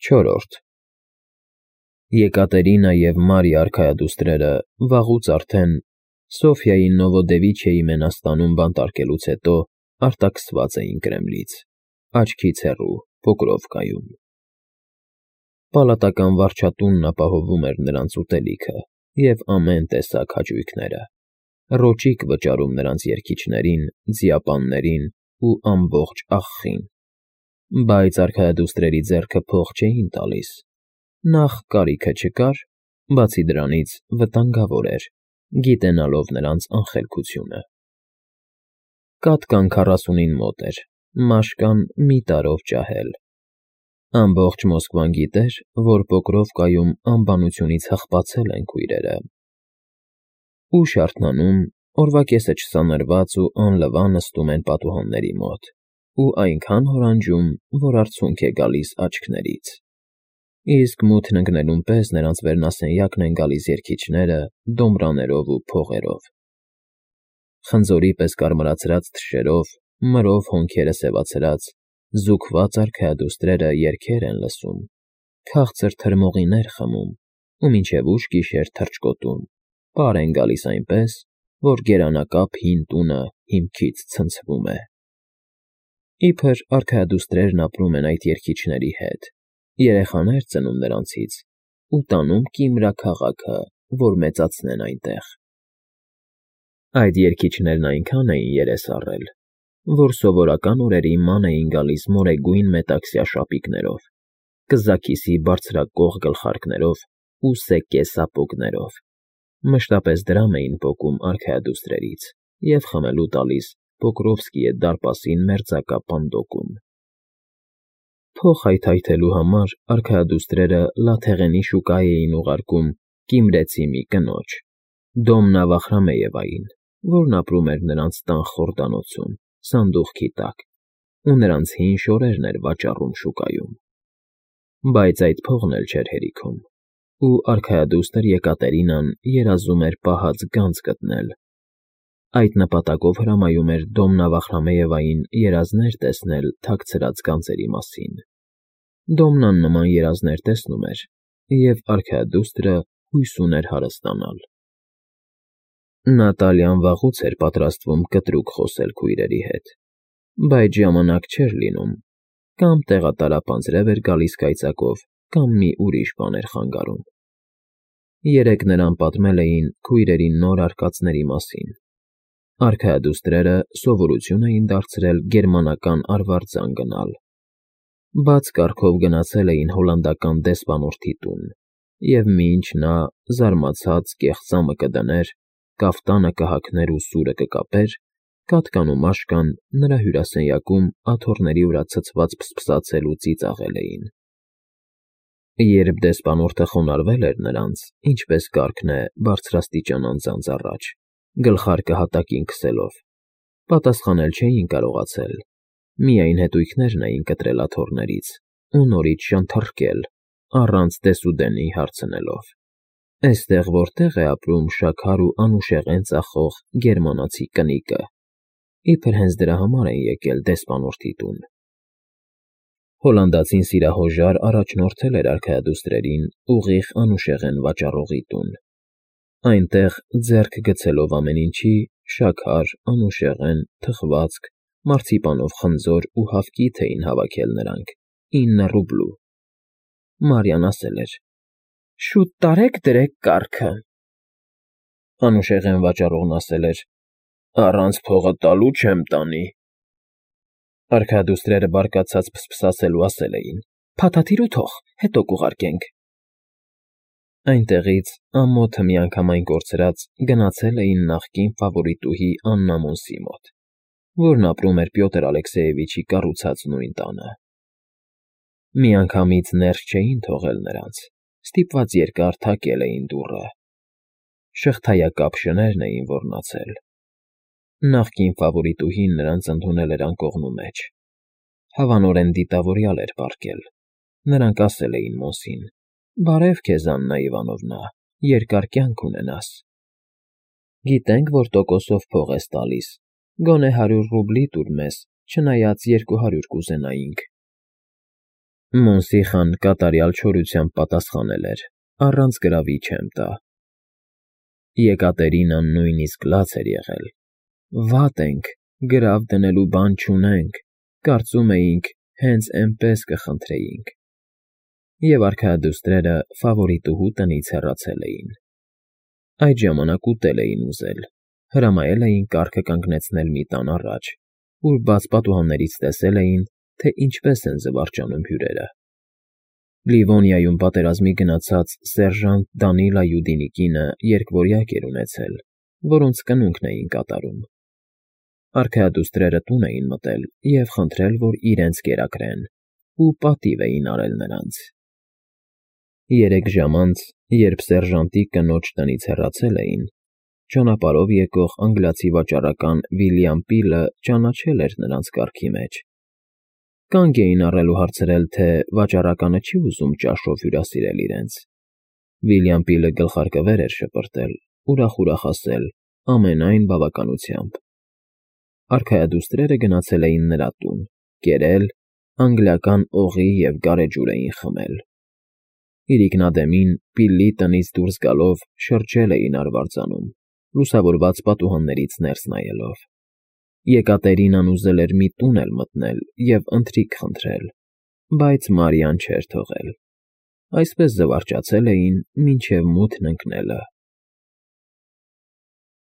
Չորրորդ Եկատերինա և Մարիա արքայադուստրերը վաղուց արդեն Սոֆիայի Նովոդևիչիեի մենաստանում բանտարկելուց հետո արտաքսված էին Կրեմլից, աչքից հեռու, Պոկրովկայում։ Պալատական վարչատունն ապահովում էր նրանց ուտելիքը և ամեն տեսակ հաճույքները, ռոճիկ վճարում նրանց երգիչներին, ձիապաններին ու ամբողջ աղխին, բայց արքայադուստրերի ձեռքը փող չէին տալիս, նախ կարիքը չկար, բացի դրանից վտանգավոր էր, գիտենալով նրանց անխելքությունը։ Կատկան 40-ին մոտ էր, մաշկան մի տարով ջահել։ Ամբողջ Մոսկվան գիտեր, որ Պոկրովկայում անբանությունից հղկացել են քույրերը։ Ուշ արթնանում, օրվա կեսը չսանրված ու անլվա նստում են պատուհանների մոտ ու այնքան հորանջում, որ արցունք է գալիս աչքներից։ Իսկ մութն ընկնելուն պես նրանց վերնասենյակն են գալիս երգիչները դոմբրաներով ու փողերով։ Խնձորի պես կարմրացրած թշերով, մրով հոնքերը սևացրած, զուգված արքայադուստրերը երգեր են լսում, քաղցր թրմողիներ խմում ու մինչև ուշ գիշեր թռչկոտում, պար են գալիս այնպես, որ գերանակապ հին տունը հիմքից ցնցվում է։ Իբր արքայադուստրերն ապրում են այդ երգիչների հետ, երեխաներ ծնում նրանցից ու տանում Կիմրա քաղաքը, որ մեծացնեն այնտեղ։ Այդ երգիչներն այնքան էին երես առել, որ սովորական օրերի ման էին գալիս մորեգույն մետաքսյա շապիկներով, կզաքիսի բարձրակող գլխարկներով ու սեկե սապոգներով, մշտապես դրամ էին պոկում արքայադուստրերից և խմելու տալիս Պոկրովսկիե դարպասին մերձակա պանդոկում։ Փող հայթայթելու համար արքայադուստրերը Լաթեղենի շուկա էին ուղարկում կիմրեցի մի կնոջ, Դոմնա Վախրամեևային, որն ապրում էր նրանց տան խորդանոցում, սանդուղքի տակ, ու նրանց հին շորերն էր վաճառում շուկայում։ Բայց այդ փողն էլ չէր հերիքում, ու արքայադուստր Եկատերինան երազում էր պահած գանձ գտնել։ Այդ նպատակով հրամայում էր Դոմնա Վախրամեևային երազներ տեսնել թաքցրած գանձերի մասին։ Դոմնան նման երազներ տեսնում էր, և արքայադուստրը հույս ուներ հարստանալ։ Նատալիան վաղուց էր պատրաստվում կտրուկ խոսել քույրերի հետ, բայց ժամանակ չէր լինում, կամ տեղատարափ անձրև էր գալիս կայծակով, կամ մի ուրիշ բան էր խանգարում։ Երեկ նրան պատմել էին քույրերի նոր արկածների մասին։ Արքայադուստրերը սովորություն էին դարձրել գերմանական արվարձան գնալ։ Բաց կարգով գնացել էին հոլանդական դեսպանորդի տուն, և մինչ նա, զարմացած, կեղծամը կդներ, կաֆտանը կհագներ ու սուրը կկապեր, Կատկան ու Մաշկան նրա հյուրասենյակում աթոռների վրա ցցված փսփսացել ու ծիծաղել էին։ Երբ դեսպանորդը խոնարհվել էր նրանց, ինչպես կարգն է բարձրաստիճան անձանց առաջ, գլխարկը հատակին քսելով, պատասխանել չէին կարողացել, միայն հետույքներն էին կտրել աթոռներից ու նորից շանթռկել, առանց դեսուդենի հարցնելով. «Էստեղ որտե՞ղ է ապրում շաքար ու անուշեղեն ծախող գերմանացի կնիկը»։ Իբր հենց դրա համար են եկել դեսպանորդի տուն։ Հոլանդացին սիրահոժար առաջնորդել էր արքայադուստրերին ուղիղ անուշեղեն վաճառողի տուն։ Այնտեղ, ձեռք գցելով ամեն ինչի, շաքար, անուշեղեն, թխվածք, մարցիպանով խնձոր ու հավկիթ էին հավաքել նրանք 9 ռուբլու։ Մարիան ասել էր. «Շուտ տարեք դրեք կառքը»։ Անուշեղեն վաճառողն ասել էր. «Առանց փողը տալու չեմ տանի»։ Արքայադուստրերը բարկացած փսփսացել ու ասել էին. «Փաթաթիր ու թող, հետո կուղարկենք»։ Այնտեղից, ամոթը միանգամայն կորցրած, գնացել էին նախկին ֆավորիտուհի Աննա Մոնսի մոտ, որն ապրում էր Պյոտր Ալեքսեևիչի կառուցած նույն տանը։ Միանգամից ներս չէին թողել նրանց, ստիպված երկար թակել էին դուռը։ Շղթայակապ շներն էին ոռնացել։ Նախկին ֆավորիտուհին նրանց ընդունել էր անկողնու մեջ։ Հավանորեն դիտավորյալ էր պառկել։ Նրանք ասել էին Մոնսին. «Բարև քեզ, Աննա Իվանովնա, երկար կյանք ունենաս։ Գիտենք, որ տոկոսով փող ես տալիս, գոնե 100 ռուբլի տուր մեզ, չնայած 200 կուզենայինք»։ Մոնսիխան կատարյալ չորությամբ պատասխանել էր. առանց գրավի չեմ տա։ Եկատերինան նույնիսկ լաց էր եղել։ Վատ ենք, գրավ դնելու բան չունենք, կարծում էինք, հենց էնպես կխնդրեինք։ Եվ արքայադուստրերը ֆավորիտուհու տնից հեռացել էին։ Այդ ժամանակ ուտել էին ուզել, հրամայել էին կառքը կանգնեցնել մի տան առաջ, ուր բաց պատուհաններից տեսել էին, թե ինչպես են զվարճանում հյուրերը։ Լիվոնիայում պատերազմի գնացած սերժանտ Դանիլա Յուդինի կինը երկվորյակ էր ունեցել, որոնց կնունքն էին կատարում։ Արքայադուստրերը տուն էին մտել և խնդրել, որ իրենց կերակրեն, ու պատիվ էին արել նրանց։ 3 ժամ անց, երբ սերժանտի կնոջ տնից հեռացել էին, ճանապարհով եկող անգլիացի վաճառական Վիլյամ Պիլը ճանաչել էր նրանց կառքի մեջ։ Կանգ էին առել ու հարցրել, թե վաճառականը չի ուզում ճաշով հյուրասիրել իրենց։ Վիլյամ Պիլը գլխարկվեր էր շպրտել, ուրախ ասել, ամենայն բավականությամբ։ Արքայադուստրերը գնացել էին նրա տուն, կերել, անգլիական օղի և գարեջուր էին խմել։ Իրիկնադեմին, Պիլի տնից դուրս գալով, շրջել էին արվարձանում, լուսավորված պատուհաններից ներս նայելով։ Եկատերինան ուզել էր մի տուն էլ մտնել և ընթրիք խնդրել, բայց Մարիան չէր թողել։ Այսպես զվարճացել էին, մինչև մութն ընկնելը։